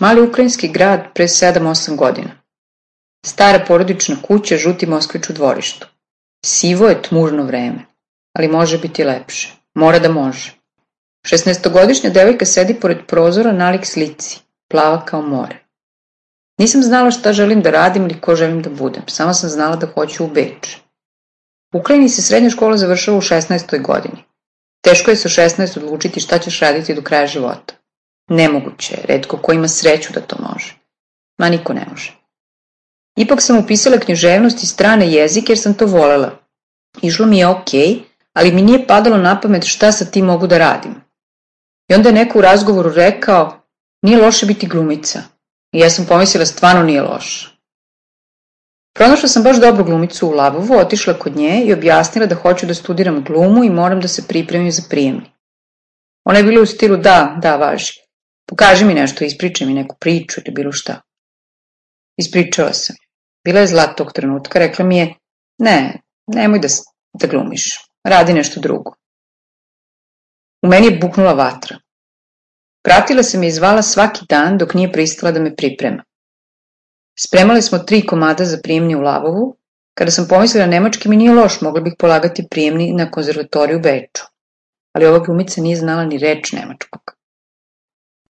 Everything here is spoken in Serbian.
Mali ukrajinski grad pre 7-8 godina. Stara porodična kuća, žuti Moskvić u dvorištu. Sivo je tmužno vreme, ali može biti lepše. Mora da može. 16-godišnja devojka sedi pored prozora nalik slici, plava kao more. Nisam znala šta želim da radim ili ko želim da budem, samo sam znala da hoću u Beč. U Ukrajini se srednja škola završava u 16. godini. Teško je sa 16 odlučiti šta ćeš raditi do kraja života. Nemoguće je, retko ko ima sreću da to može. Ma niko ne može. Ipak sam upisala književnost i strane jezike jer sam to volela. Išlo mi je okej, ali mi nije padalo na pamet šta sa tim mogu da radim. I onda je neko u razgovoru rekao, nije loše biti glumica. I ja sam pomislila, stvarno nije loše. Pronašla sam baš dobru glumicu u Labovu, otišla kod nje i objasnila da hoću da studiram glumu i moram da se pripremim za prijemni. Ona je bila u stilu, da, važi. Pokaži mi nešto, ispričaj mi neku priču ili bilo šta. Ispričala sam. Bila je zla tog trenutka, rekla mi je, nemoj da glumiš, radi nešto drugo. U meni je buknula vatra. Pratila sam je i zvala svaki dan dok nije pristala da me priprema. Spremali smo 3 komada za prijemni u Lavovu. Kada sam pomislila nemački mi nije loš, mogla bih polagati prijemni na konzervatoriju u Beču. Ali ova glumica nije znala ni reč nemačkog.